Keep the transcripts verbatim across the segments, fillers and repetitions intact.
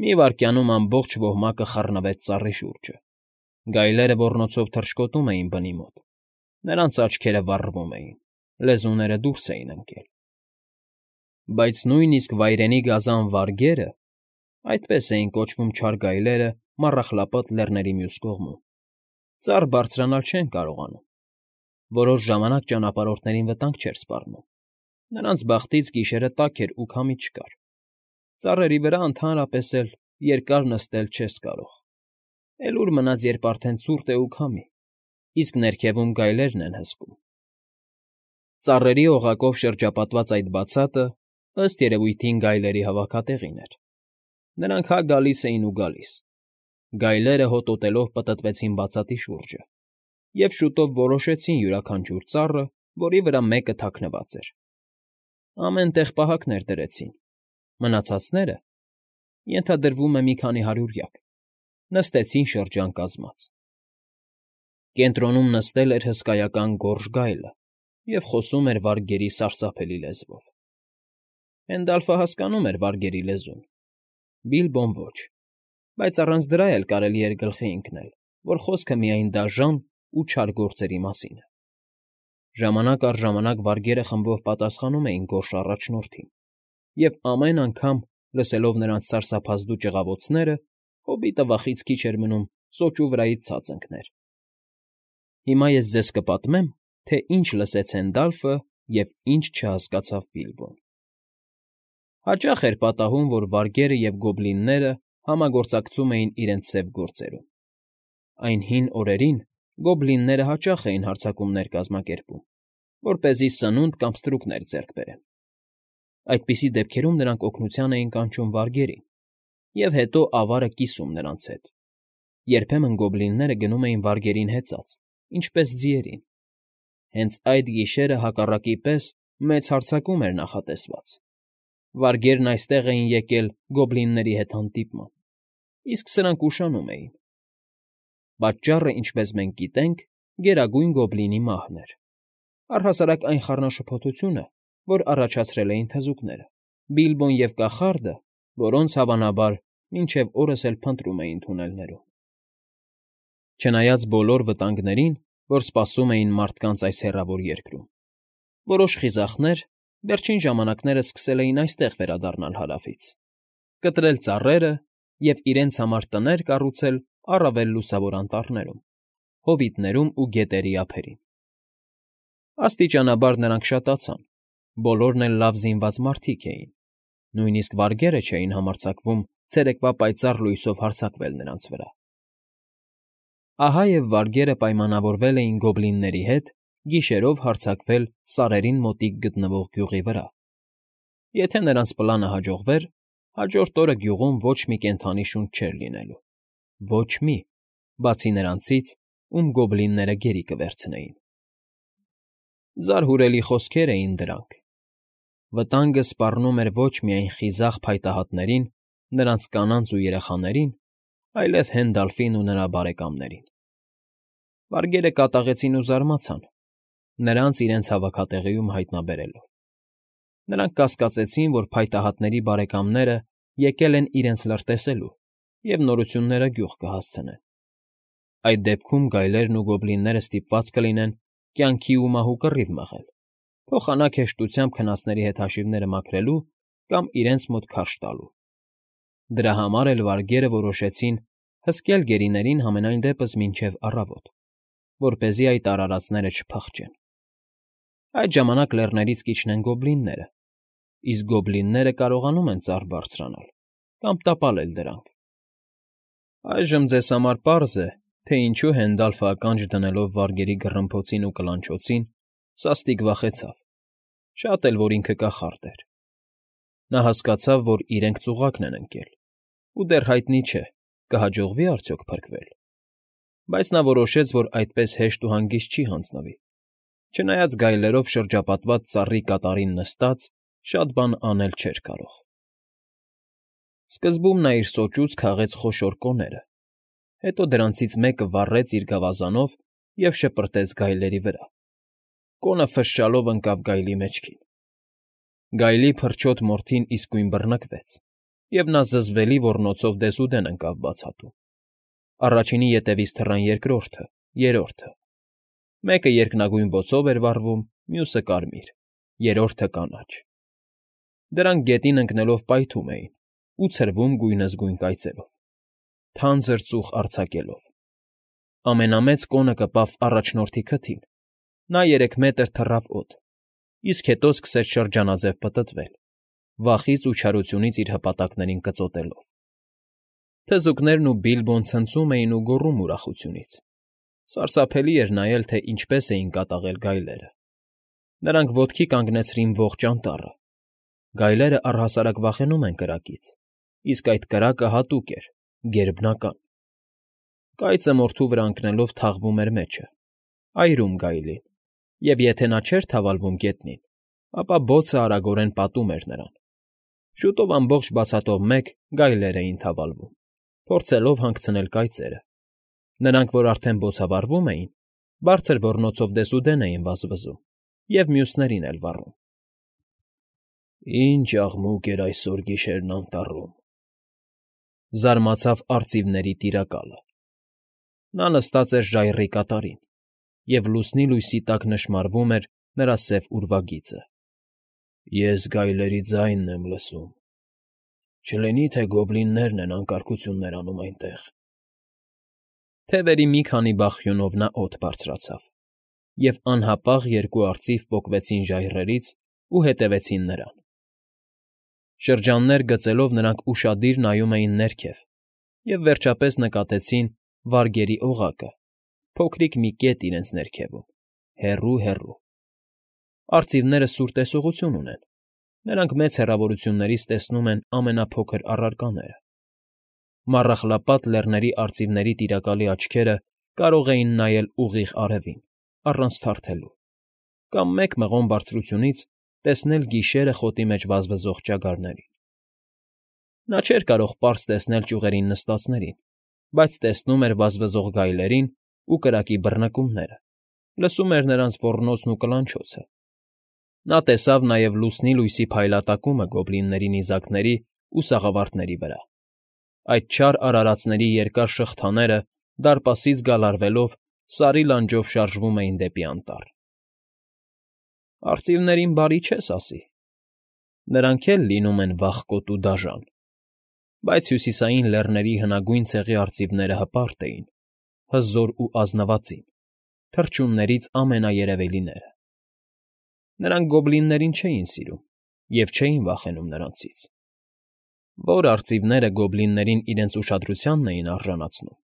Մի վայրկյանում ամբողջ ոհմակը խռնվեց ծառի շուրջը, գայլերը ոռնոցով թռչկոտում էին բնի մոտ, նրանց աչքերը վառվում էին, լեզուները դուրս էին ընկել։ Բայց նույնիսկ վայրենի գազան վարգերը (այդպես էին կոչվում չար գայլերը Մառախլապատ Լեռների մյուս կողմում) ծառ բարձրանալ չեն կարողանում, որոշ ժամանակ ճանապարհորդներին վտանգ չէր սպառնում, նրանց բախտից գիշերը տաք էր ու քամի չկար, ծառերի վրա ընդհանրապես էլ երկար նստել չես կարող, էլ ուր մնաց, երբ արդեն ցուրտ է ու քամի, իսկ ներքևում գայլերն են հսկում։ Ծառերի օղակով շրջապատված այդ բացատը, ըստ երևույթին, գայլերի հավաքատեղին էր։ Նրանք հա գալիս էին ու գալիս։ Գայլերը հոտոտելով պտտվեցին բացատի շուրջը և շուտով որոշեցին յուրաքանչյուր ծառը, որի վրա մեկը թաքնված էր։ Ամեն տեղ պահակներ դրեցին, մնացածները (ենթադրվում է մի քանի հարյուրյակ) նստեցին շրջան կազմած։ Կենտրոնում նստել էր հսկայական գորշ գայլը և խոսում էր վարգերի սարսափելի լեզվով։ Հենդալֆը հասկանում էր վարգերի լեզուն, Բիլբոն ոչ, բայց առանց դրա էլ կարելի էր գլխի ընկնել, որ խոսքը միայն դաժան ու չար գործերի մասին է։ Ժամանակ առ ժամանակ վարգերը խմբով պատասխանում էին գորշ առաջնորդին, և ամեն անգամ, լսելով նրանց սարսափազդու ճղավոցները, հոբիտը վախից քիչ էր մնում սոճու վրայից ցած ընկներ։ Հիմա ես ձեզ կպատմեմ, թե ինչ լսեց Հենդալֆը և ինչ չհասկացավ Բիլբոն։ Հաճախ էր պատահում, որ վարգերը և գոբլինները համագործակցում էին իրենց սև գործերում։ Այն հին օրերին գոբլինները հաճախ էին հարձակումներ կազմակերպում, որպեսզի սնունդ կամ ստրուկներ ձեռք բերեն։ Այդպիսի դեպքերում նրանք օգնության էին կանչում վարգերին և հետո ավարը կիսում նրանց հետ։ Երբեմն գոբլինները գնում էին վարգերին հեծած, ինչպես ձիերին։ Հենց այդ գիշերը հակառակի պես մեծ հարձակում էր նախատեսված։ Վարգերն այստեղ էին եկել գոբլինների հետ հանդիպման, իսկ սրանք ուշանում էին։ Պատճառը, ինչպես մենք գիտենք, Գերագույն Գոբլինի մահն էր, առհասարակ այն խառնաշփոթությունը, որ առաջացրել էին թզուկները, Բիլբոն և կախարդը, որոնց, հավանաբար, մինչև օրս էլ փնտրում էին թունելներում։ Չնայած բոլոր վտանգներին, որ սպասում էին մարդկանց այս հեռավոր երկրում, որոշ խիզախներ վերջին ժամանակներս սկսել էին այստեղ վերադառնալ հարավից, կտրել ծառերը և իրենց համար տներ կառուցել առավել լուսավոր անտառներում, հովիտներում ու գետերի ափերին։ Աստիճանաբար նրանք շատացան, բոլորն էլ լավ զինված մարդիկ էին, նույնիսկ վարգերը չէին համարձակվում ցերեկվա պայծառ լույսով հարձակվել նրանց վրա։ Ահա և վարգերը պայմանավորվել էին գոբլինների հետ գիշերով հարձակվել սարերին մոտիկ գտնվող գյուղի վրա։ Եթե նրանց պլանը հաջողվեր, հաջորդ օրը գյուղում ոչ մի կենդանի շունչ չէր լինելու, ոչ մի, բացի նրանցից, ում գոբլինները գերի կվերցնեին։ Զարհուրելի խոսքեր էին դրանք։ Վտանգը սպառնում էր ոչ միայն խիզախ փայտահատներին, նրանց կանանց ու երեխաներին, այլև Հենդալֆին ու նրա բարեկամներին։ Վարգերը կատաղեցին ու զարմացան, նրանց իրենց հավաքատեղիում հայտնաբերելով։ Նրանք կասկածեցին, որ փայտահատների բարեկամները եկել են իրենց լրտեսելու և նորությունները գյուղ կհասցնեն։ Այդ դեպքում գայլերն ու գոբլինները ստիպված կլինեն կյանքի ու մահու կռիվ մղել, փոխանակ հեշտությամբ քնածների հետ հաշիվները մաքրելու կամ իրենց մոտ քարշ տալու։ Դրա համար էլ վարգերը որոշեցին հսկել գերիներին համենայն դեպս մինչև առավոտ, որպեսզի այդ արարածները չփախչեն։ Այդ ժամանակ լեռներից կիջնեն գոբլինները, իսկ գոբլինները կարողանում են ծառ բարձրանալ կամ տապալել դրանք։ Այժմ ձեզ համար պարզ է, թե ինչու Հենդալֆը ականջ դնելով վարգերի գռմփոցին ու կլանչոցին, սաստիկ վախեցավ, շատ էլ որ ինքը կախարդ էր։ Նա հասկացավ, որ իրենք ծուղակն են ընկել, ու դեռ հայտնի չէ, կհաջողվի՞ արդյոք փրկվել։ Բայց նա որոշեց, որ այդպես հեշտ ու հանգիստ չի հանձնվի, չնայած գայլերով շրջապատված ծառի կատարին նստած շատ բան անել չէր կարող։ Սկզբում նա իր սոճուց քաղեց խոշոր կոները, հետո դրանցից մեկը վառեց իր գավազանով և շպրտեց գայլերի վրա։ Կոնը ֆշշալով ընկավ գայլի մեջքին։ Գայլի փրչոտ մորթին իսկույն բռնկվեց, և նա զզվելի ոռնոցով դեսուդեն ընկավ բացատում. առաջինի ետևից թռան երկրորդը, երրորդը. մեկը երկնագույն բոցով էր վառվում, մյուսը՝ կարմիր, երրորդը՝ կանաչ. դրանք գետին ընկնելով պայթում էին ու ցրվում գույնզգույն կայծերով, թանձր ծուխ արձակելով. ամենամեծ կոնը կպավ առաջնորդի քթին, նա երեք մետր թռավ օդ, իսկ հետո սկսեց շրջանաձև պտտվել, վախից ու չարությունից իր հպատակներին կծոտելով. թզուկներն ու Բիլբոն ցնծում էին ու գոռում ուրախությունից. սարսափելի էր նայել, թե ինչպես էին կատաղել գայլերը. նրանք ոտքի կանգնեցրին ողջ անտառը. գայլերը առհասարակ վախենում են կրակից, իսկ այդ կրակը հատուկ էր, գերբնական. կայծը մորթու վրա ընկնելով թաղվում էր մեջը, այրում գայլին, և եթե նա չէր թավալվում գետնին, ապա բոցը արագորեն պատում էր նրան. շուտով ամբողջ բացատով մեկ գայլեր էին թավալվում, փորձելով հանգցնել կայծերը. նրանք, որ արդեն բոցավառվում էին, բարձր ոռնոցով դեսուդեն էին վազվզում և մյուսներին էլ վառում. «Ինչ աղմուկ էր այսօր գիշերն անտառում», զարմացավ արծիվների Տիրակալը. նա նստած էր ժայռի կատարին, և լուսնի լույսի տակ նշմարվում էր նրա սև ուրվագիծը. «Ես գայլերի ձայնն եմ լսում. չլինի՞ թե գոբլիններն են անկարգություններ անում այնտեղ»։ Թևերի մի քանի բախյունով նա օդ բարձրացավ, և անհապաղ երկու արծիվ պոկվեցին ժայռերից ու հետևեցին նրան. շրջաններ գծելով նրանք ուշադիր նայում էին ներքև և վերջապես նկատեցին վարգերի օղակը, փոքրիկ մի կետ իրենց ներքևում, հեռու֊հեռու. արծիվները սուր տեսողություն ունեն, նրանք մեծ հեռավորություններից տեսնում են ամենափոքր առարկաները. Մառախլապատ Լեռների արծիվների Տիրակալի աչքերը կարող էին նայել ուղիղ արևին, առանց թարթելու, կամ մեկ մղոն բարձրությունից տեսնել գիշերը խոտի մեջ վազվզող ճագարներին. նա չէր կարող պարզ տեսնել ճյուղերին նստածներին, բայց տեսնում էր վազվզող գայլերին ու կրակի բռնկումները, լսում էր նրանց ոռնոցն ու կլանչոցը. նա տեսավ նաև լուսնի լույսի փայլատակումը գոբլինների նիզակների ու սաղավարտների վրա, այդ չար արարածների երկար շղթաները դարպասից գալարվելով Սարի լանջով շարժվում էին դեպի անտառ։ Արծիվներին բարի չես ասի, նրանք էլ լինում են վախկոտ ու դաժան, բայց Հյուսիսային Լեռների հնագույն ցեղի արծիվները հպարտ էին, հզոր ու ազնվածին, թռչուններից ամենաերևելիները. նրանք գոբլիններին չէին սիրում և չէին վախենում նրանցից. որ արծիվները գոբլիններին իրենց ուշադրությանն էին արժանացնում,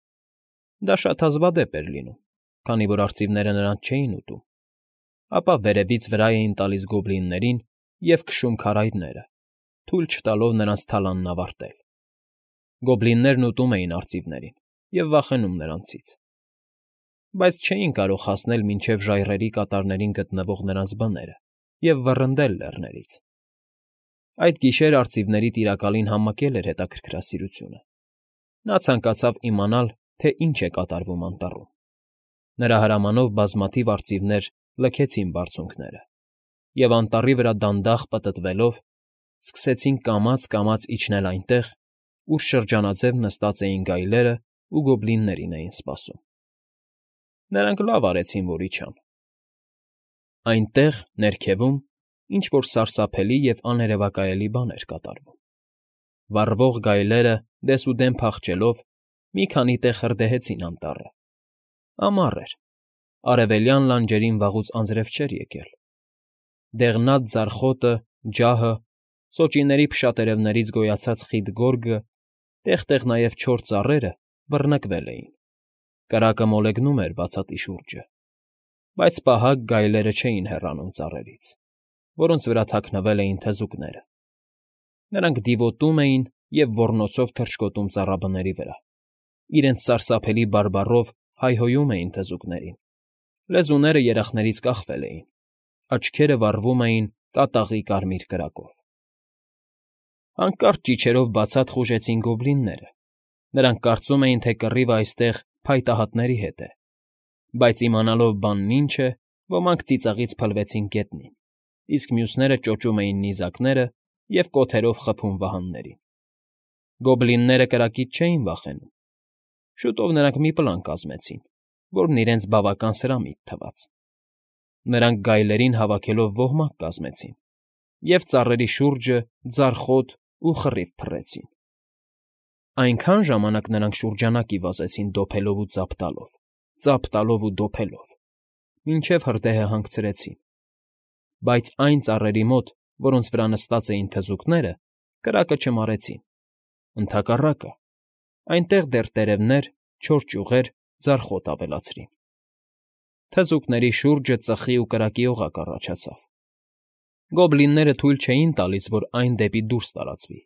դա շատ հազվադեպ էր լինում, քանի որ արծիվները նրանց չէին ուտում, ապա վերևից վրա էին տալիս գոբլիններին և քշում քարայրները, թույլ չտալով նրանց թալանն ավարտել. գոբլիններն ուտում էին արծիվներին և վախենում նրանցից, բայց չէին կարող հասնել մինչև ժայռերի կատարներին գտնվող նրանց բները և վռնդել լեռներից. այդ գիշեր արծիվների Տիրակալին համակել էր հետաքրքրասիրությունը. նա ցանկացավ իմանալ, թե ինչ է կատարվում անտառում. նրա հրամանով բազմաթիվ արծիվներ լքեցին բարձունքները և անտառի վրա դանդաղ պտտվելով սկսեցին կամաց֊կամաց իջնել այնտեղ, ուր շրջանաձև նստած էին գայլերն ու գոբլիններին էին սպասում. նրանք լավ արեցին, որ իջան. այնտեղ, ներքևում, ինչ֊որ սարսափելի և աներևակայելի բան էր կատարվում. վառվող գայլերը, դեսուդեն փախչելով, մի քանի տեղ հրդեհեցին անտառը. ամառ էր, արևելյան լանջերին վաղուց անձրև չէր եկել. դեղնած ձարխոտը, ջահը, սոճիների փշատերևներից գոյացած խիտ գորգը, տեղ֊տեղ նաև չոր ծառերը բռնկվել էին, կրակը մոլեգնում էր բացատի շուրջը, բայց պահակ գայլերը չէին հեռանում ծառերից, որոնց վրա թաքնվել էին թզուկները. նրանք դիվոտում էին և ոռնոցով թռչկոտում ծառաբների վրա, իրենց սարսափելի բարբառով հայհոյում էին թզուկներին, լեզուները երախներից կախվել էին, աչքերը վառվում էին կատաղի կարմիր կրակով. հանկարծ ճիչերով բացատ խուժեցին գոբլինները, նրանք կարծում էին, թե կռիվը այստեղ փայտահատների հետ է, բայց իմանալով բանն ինչ է, ոմանք ծիծաղից փլվեցին գետնին, իսկ մյուսները ճոճում էին նիզակները և կոթերով խփում վահաններին։ Գոբլինները կրակից չէին վախենում։ Շուտով նրանք մի պլան կազմեցին, որն իրենց բավական սրամիտ թվաց։ Նրանք գայլերին հավաքելով ոհմակ կազմեցին և ծառերի շուրջը ձարախոտ ու խռիվ փռեցին։ Այնքան ժամանակ նրանք շուրջանակի վազեցին դոփելով ու ծափ տալով, ծափ տալով ու դոփելով, մինչև հրդեհը հանգցրեցին, բայց այն ծառերի մոտ, որոնց վրա նստած էին թզուկները, կրակը չմարեցին, ընդհակառակը, այնտեղ դեռ տերևներ, չոր ճյուղեր, ձարախոտ ավելացրին։ Թզուկների շուրջը ծխի ու կրակի օղակ առաջացավ։ Գոբլինները թույլ չէին տալիս, որ այն դեպի դուրս տարածվի։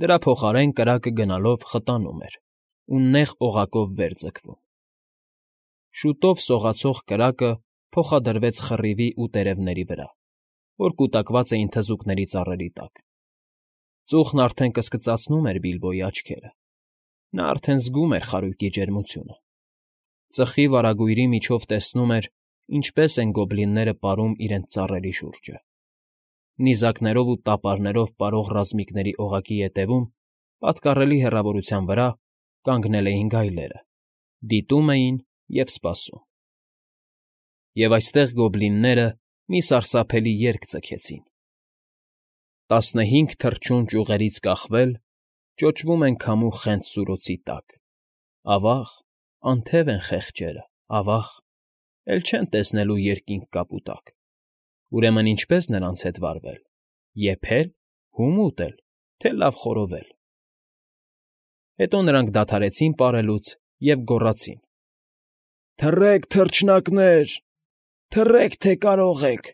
Դրա փոխարեն կրակը գնալով խտանում էր ու նեղ օղակով վեր ձգվում։ Շուտով սողացող կրակը փոխադրվեց խռիվի ու տերևների վրա, որ կուտակված էին թզուկների ծառերի տակ։ Ծուխն արդեն կսկծացնում էր Բիլբոյի աչքերը։ Նա արդեն զգում էր խարույկի ջերմությունը։ Ծխի վարագույրի միջով տեսնում էր, ինչպես են գոբլինները պարում իրենց ծառերի շուրջը։ Նիզակներով ու տապարներով պարող ռազմիկների օղակի ետևում, պատկառելի հեռավորության վրա, կանգնել էին գայլերը, դիտում էին և սպասում։ Եվ այստեղ գոբլինները մի սարսափելի երգ ձգեցին. Տասնհինգ թռչուն ճյուղերից կախվել, ճոճվում են քամու խենթ սուլոցի տակ, ավա՜ղ, անթև են խեղճերը, ավա՜ղ, էլ չեն տեսնելու երկինք կապուտակ, ուրեմն ինչպե՞ս նրանց հետ վարվել, եփե՞լ, հո՞ւմ ուտել, թե լավ խորովել։ Հետո նրանք դադարեցին պարելուց և գոռացին. Թռեք, թռչնակներ, թռեք, թե կարող եք,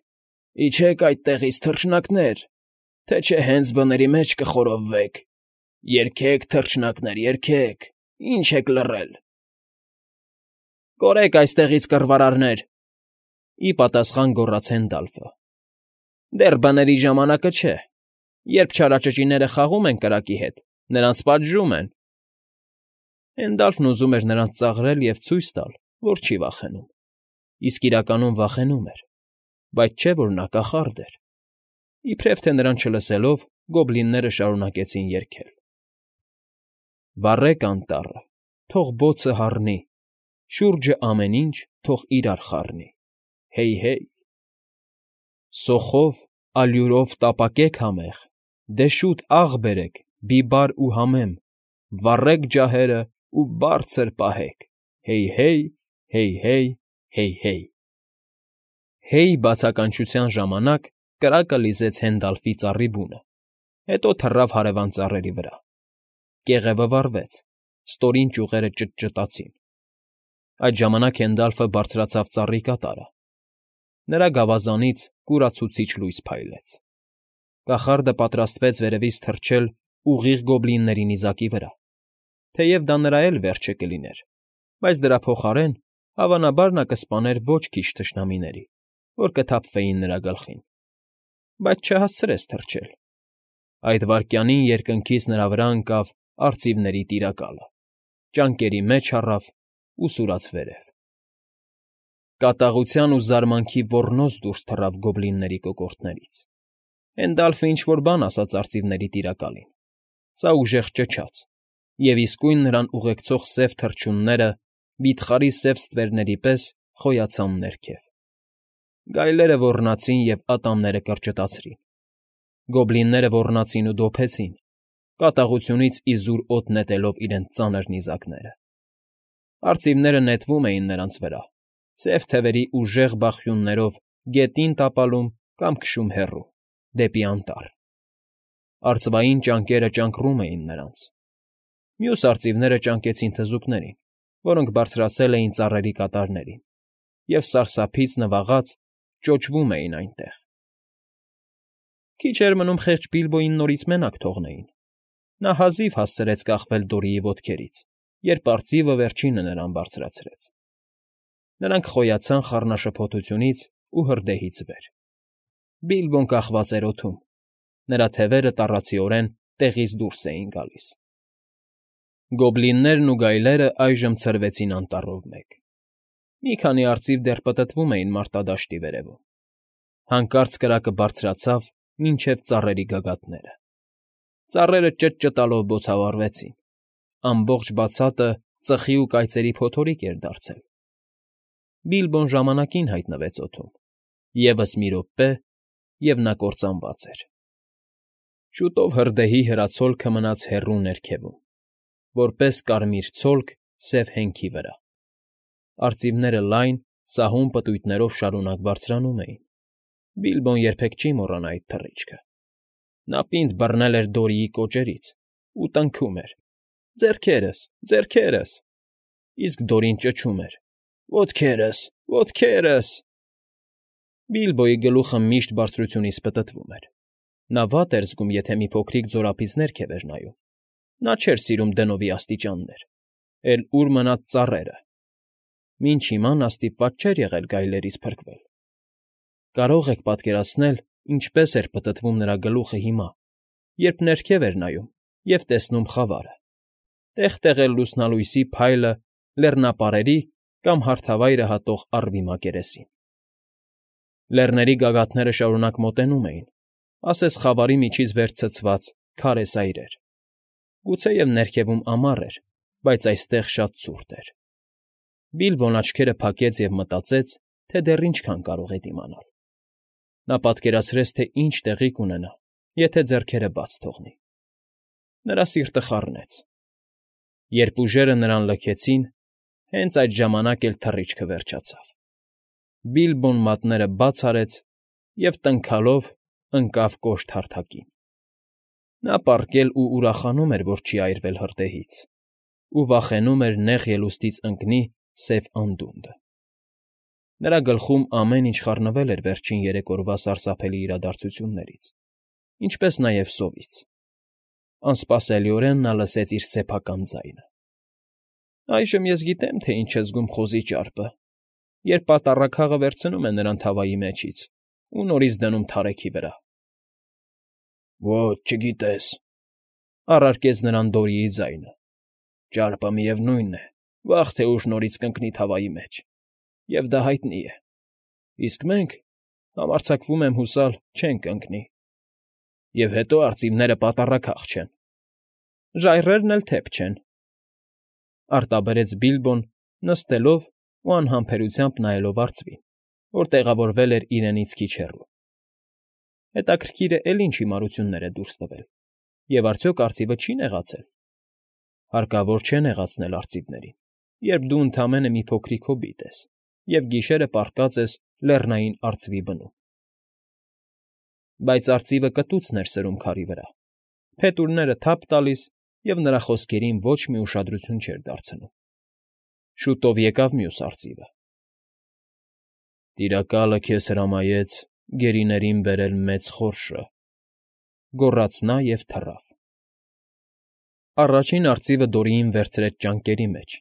իջեք այդտեղից, թռչնակներ, թե չէ հենց բների մեջ կխորովվեք, երգեք, թռչնակներ, երգեք, ինչ եք լռել։ Կորեք այստեղից, կռվարարներ, ի պատասխան գոռաց Հենդալֆը։ Դեռ բների ժամանակը չէ, երբ չարաճճիները խաղում են կրակի հետ, նրանց պատժում են։ Հենդալֆն ուզում էր նրանց ծաղրել և ցույց տալ, որ չի վախենում, իսկ իրականում վախենում էր, բայց չէ որ նա կախարդ էր։ Իբրև թե նրան չլսելով, գոբլինները շարունակեցին երգել. Վառեք անտառը, թող բոցը հառնի, շուրջը ամեն ինչ թող իրար խառնի, Հեյ֊հեյ։ Սոխով, ալյուրով տապակեք համեղ, Դե շուտ աղ բերեք, բիբար ու համեմ, Վառեք ջահերը ու բարձր պահեք, Հեյ֊հեյ, հեյ֊հեյ, հեյ֊հեյ։ Հեյ բացականչության ժամանակ կրակը լիզեց Հենդալֆի ծառի բունը, հետո թռավ հարևան ծառերի վրա։ Կեղևը վառվեց, ստորին ճյուղերը ճտճտացին։ Այդ ժամանակ Հենդալֆը բարձրացավ ծառի կատարը։ Նրա գավազանից կուրացուցիչ լույս փայլեց։ Կախարդը պատրաստվեց վերևից թռչել ուղիղ գոբլինների նիզակի վրա, թեև դա նրա էլ վերջը կլիներ, բայց դրա փոխարեն, հավանաբար, նա կսպաներ ոչ քիչ թշնամիների, որ կթափվեին նրա գլխին, բայց չհասցրեց թռչել։ Այդ վայրկյանին երկնքից նրա վրա ընկավ արծիվների Տիրակալը, ճանկերի մեջ առավ ու սուրաց վերև։ Կատաղության ու զարմանքի ոռնոց դուրս թռավ գոբլինների կոկորդներից։ Հենդալֆը ինչ֊որ բան ասաց արծիվների Տիրակալին, սա ուժեղ ճչաց, և իսկույն նրան ուղեկցող սև թռչունները, վիթխարի սև ստվերների պես, խոյացան ներքև։ Գայլերը ոռնացին և ատամները կրճտացրին։ Գոբլինները ոռնացին ու դոփեցին, կատաղությունից իզուր օդ նետելով իրենց ծանր նիզակները։ Արծիվները նետվում էին նրանց վրա, սև թևերի ուժեղ բախյուններով գետին տապալում կամ քշում հեռու, դեպի անտառ։ Արծվային ճանկերը ճանկռում էին նրանց։ Մյուս արծիվները ճանկեցին թզուկներին, որոնք բարձրացել էին ծառերի կատարներին, և սարսափից նվաղած ճոճվում էին այնտեղ։ Քիչ էր մնում խեղճ Բիլբոյին նորից մենակ թողնեին։ Նա հազիվ հասցրեց կախվել Դորիի ոտքերից, երբ արծիվը վերջինը նրան բարձրացրեց։ Նրանք խոյացան խառնաշփոթությունից ու հրդեհից վեր։ Բիլբոն կախված էր օդում, նրա թևերը տառացիորեն տեղից դուրս էին գալիս։ Գոբլիններն ու գայլերը այժմ ցրվեցին անտառով մեկ։ Մի քանի արծիվ դեռ պտտվում էին մարտադաշտի վերևում։ Հանկարծ կրակը բարձրացավ մինչև ծառերի գագաթները։ Ծառերը ճտճտալով բոցավառվեցին, ամբողջ բացատը ծխի ու կայծերի փոթորիկ էր դարձել։ Բիլբոն ժամանակին հայտնվեց օդում, ևս մի րոպե, և նա կործանված էր։ Շուտով հրդեհի հրացոլքը մնաց հեռու ներքևում, որպես կարմիր ցոլք սև հենքի վրա։ Արծիվները լայն, սահուն պտույտներով շարունակ բարձրանում էին։ Բիլբոն երբեք չի մոռանա այդ թռիչքը։ Նա պինդ բռնել էր Դորիի կոճերից ու տնքում էր. «Ձեռքերս, ձեռքերս», իսկ Դորին ճչում էր. «Ոտքերս, ոտքերս»։ Բիլբոյի գլուխը միշտ բարձրությունից պտտվում էր։ Նա վատ էր զգում, եթե մի փոքրիկ ձորափից ներքև էր նայում։ Նա չէր սիրում դնովի աստիճաններ, էլ ուր մնաց ծառերը։ Մինչ հիմա նա ստիպված չէր եղել գայլերից փրկվել։ Կարո՞ղ եք պատկերացնել, ինչպես էր պտտվում նրա գլուխը հիմա, երբ ներքև էր նայում և տեսնում խավարը, տեղ֊տեղ էլ լուսնալույսի փայլը լեռնապարերի կամ հարթավայրը հատող առվի մակերեսին։ Լեռների գագաթները շարունակ մոտենում էին, ասես խավարի միջից վեր ցցված քարե սայրեր։ Գուցեև ներքևում ամառ էր, բայց այստեղ շատ ցուրտ էր։ Բիլբոն աչքերը փակեց և մտածեց, թե դեռ ինչքան կարող է դիմանալ։ Նա պատկերացրեց, թե ինչ տեղի կունենա, եթե ձեռքերը բաց թողնի։ Նրա սիրտը խառնեց։ Երբ ուժերը նրան լքեցին, հենց այդ ժամանակ էլ թռիչքը վերջացավ։ Բիլբոն մատները բաց արեց և տնքալով ընկավ կոշտ հարթակին։ Նա պառկել ու ուրախանում էր, որ չի այրվել հրդեհից, ու վախենում էր նեղ ելուստից ընկնի սև անդունդը։ Նրա գլխում ամեն ինչ խառնվել էր վերջին երեք օրվա սարսափելի իրադարձություններից, ինչպես նաև սովից։ Անսպասելիորեն նա լսեց իր սեփական ձայնը. «Այժմ ես գիտեմ, թե ինչ է զգում խոզի ճարպը, երբ պատառաքաղը վերցնում է նրան թավայի միջից ու նորից դնում թարեքի վրա»։ «Ոչ, չգիտես,֊ առարկեց նրան Դորիի ձայնը,֊ ճարպը, միևնույն է, վաղ թե ուշ նորից կընկնի թավայի մեջ, և դա հայտնի է, իսկ մենք, համարձակվում եմ հուսալ, չենք ընկնի։ Եվ հետո արծիվները պատառաքաղ չեն»։ «Ժայռերն էլ թեփ չեն,֊ արտաբերեց Բիլբոն, նստելով ու անհամբերությամբ նայելով արծվին, որ տեղավորվել էր իրենից քիչ հեռու։ Հետաքրքիր է, էլի ինչ հիմարություններ է դուրս տվել, և արդյոք արծիվը չի նեղացել։ Հարկավոր չէ նեղացնել արծիվներին, երբ դու ընդամենը մի փոքրիկ հոբիտ ես և գիշերը պառկած ես լեռնային արծվի բնում։ Բայց արծիվը կտուցն էր սրում քարի վրա, փետուրները թափ տալիս և նրա խոսքերին ոչ մի ուշադրություն չէր դարձնում։ Շուտով եկավ մյուս արծիվը։ «Տիրակալը քեզ հրամայեց գերիներին բերել մեծ խորշը,֊ գոռաց նա և թռավ»։ Առաջին արծիվը Դորիին վերցրեց ճանկերի մեջ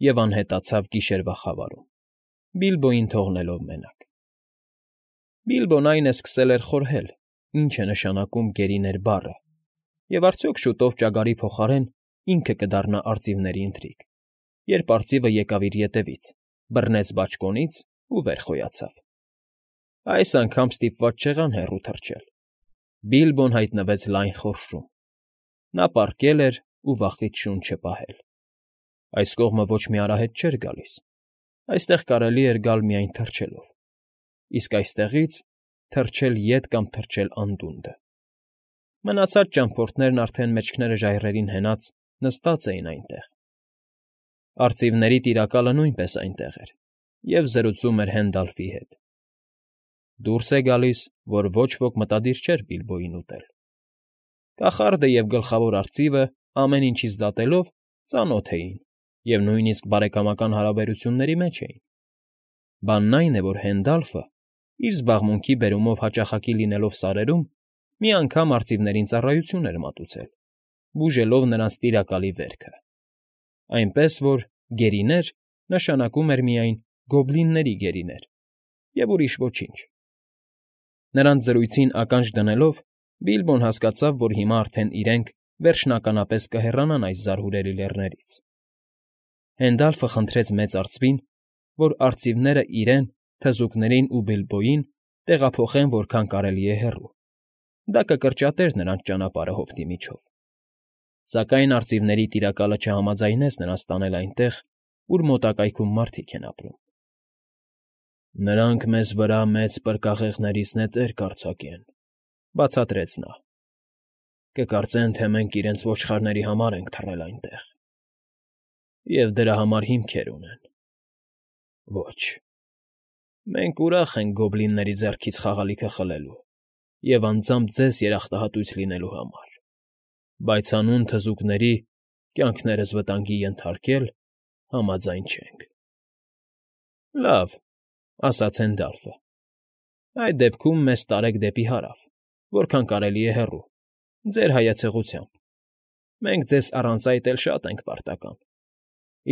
և անհետացավ գիշերվա խավարում, Բիլբոյին թողնելով մենակ։ Բիլբոն այն է սկսել էր խորհել, ինչ է նշանակում գերիներ բառը, և արդյոք շուտով ճագարի փոխարեն ինքը կդառնա արծիվների ընթրիք, երբ արծիվը եկավ իր ետևից, բռնեց բաճկոնից ու վեր խոյացավ։ Այս անգամ ստիպված չեղան հեռու թռչել։ Բիլբոն հայտնվեց լայն խորշում։ Նա պառկել էր ու վախից շունչը պահել։ Այս կողմը ոչ մի արահետ չէր գալիս, այստեղ կարելի էր գալ միայն թռչելով, իսկ այստեղից թռչել ետ կամ թռչել անդունդը։ Մնացած ճամփորդներն արդեն մեջքները ժայռերին հենած նստած էին այնտեղ։ Արծիվների տիրակալը նույնպես այնտեղ էր և զրուցում էր Հենդալֆի հետ։ Դուրս է գալիս, որ ոչ ոք մտադիր չէր Բիլբոյին ուտել։ Կախարդը և գլխավոր արծիվը, ամեն ինչից դատելով, ծանոթ էին և նույնիսկ բարեկամական հարաբերությունների մեջ էին։ Բանն այն է, որ Հենդալֆը, իր զբաղմունքի բերումով հաճախակի լինելով սարերում, մի անգամ արծիվներին ծառայություն էր մատուցել, բուժելով նրանց տիրակալի վերքը։ Այնպես որ գերիներ նշանակում էր միայն գոբլինների գերիներ և ուրիշ ոչինչ։ Նրանց զրույցին ականջ դնելով՝ Բիլբոն հասկացավ, որ հիմա արդեն իրենք վերջնականապես կհեռանան այս զարհուրելի լեռներից։ Հենդալֆը խնդրեց մեծ արծվին, որ արծիվները իրեն, թզուկներին ու Բիլբոյին տեղափոխեն որքան կարելի է հեռու։ Դա կկրճատեր նրանց ճանապարհը հովտի միջով։ Սակայն արծիվների Տիրակալը չհամաձայնեց նրանց տանել այնտեղ, ուր մոտակայքում մարդիկ են ապրում։ ֊ Նրանք մեզ վրա մեծ պրկաղեղներից նետեր կարձակեն,֊ բացատրեց նա։֊ Կկարծեն, թե մենք իրենց ոչխարների համար ենք թռել այնտեղ, և դրա համար հիմքեր ունեն։ Ոչ, մենք ուրախ ենք գոբլինների ձեռքից խաղալիքը խլելու և անձամբ ձեզ երախտահատույց լինելու համար, բայց հանուն թզուկների կյանքներս վտանգի ենթարկել համաձայն չենք։ ֊ Լավ,֊ ասաց Հենդալֆը,֊ այդ դեպքում մեզ տարեք դեպի հարավ, որքան կարելի է հեռու, ձեր հայեցողությամբ. մենք ձեզ առանց այդ էլ շատ ենք պարտական,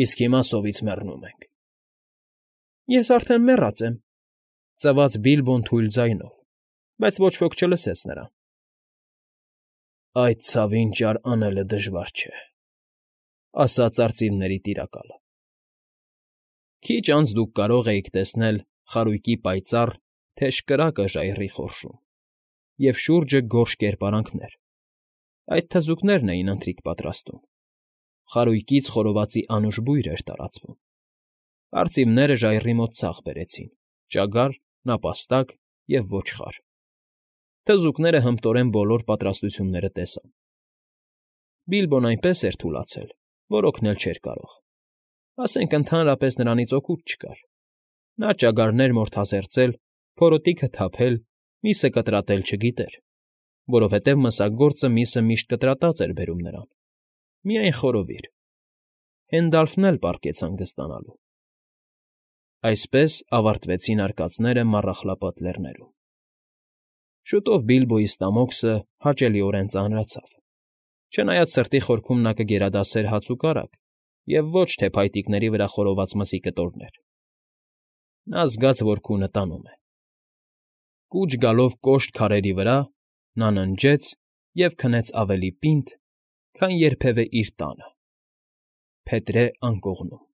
իսկ հիմա սովից մեռնում ենք։ ֊ Ես արդեն մեռած եմ,֊ ծվաց Բիլբոն թույլ ձայնով, բայց ոչ ոք չլսեց նրան։ ֊ Այդ ցավին ճար անելը դժվար չէ,֊ ասաց արծիվների Տիրակալը։ Քիչ անց դուք կարող էիք տեսնել խարույկի պայծառ, թեժ կրակը ժայռի խորշում, և շուրջը գորշ կերպարանքներ. այդ թզուկներն էին ընթրիք պատրաստում։ Խարույկից խորովածի անուշ բույր էր տարածվում։ Արծիվները ժայռի մոտ ցախ բերեցին՝ ճագար, նապաստակ և ոչխար։ Թզուկները հմտորեն բոլոր պատրաստությունները տեսան։ Բիլբոն այնպես էր թուլացել, որ օգնել չէր կարող, ասենք ընդհանրապես նրանից օգուտ չկար։ Նա ճագարներ մորթազերծել, փորոտիքը թափել, միսը կտրատել չգիտեր, որովհետև մսագործը միսը միշտ կտրատած էր բերում նրան, միայն խորովիր։ Հենդալֆն էլ պառկեց հանգստանալու։ Այսպես ավարտվեցին արկածները Մառախլապատ Լեռներում։ Շուտով Բիլբոյի ստամոքսը հաճելիորեն ծանրացավ, չնայած սրտի խորքում նա կգերադասեր հաց ու կարագ և ոչ թե փայտիկների վրա խորոված մսի կտորներ։ Նա զգաց, որ քունը տանում է։ Կուչ գալով կոշտ քարերի վրա՝ նա ննջեց և քնեց ավելի պինդ, քան երբևէ իր տանը՝ փետրե անկողնում։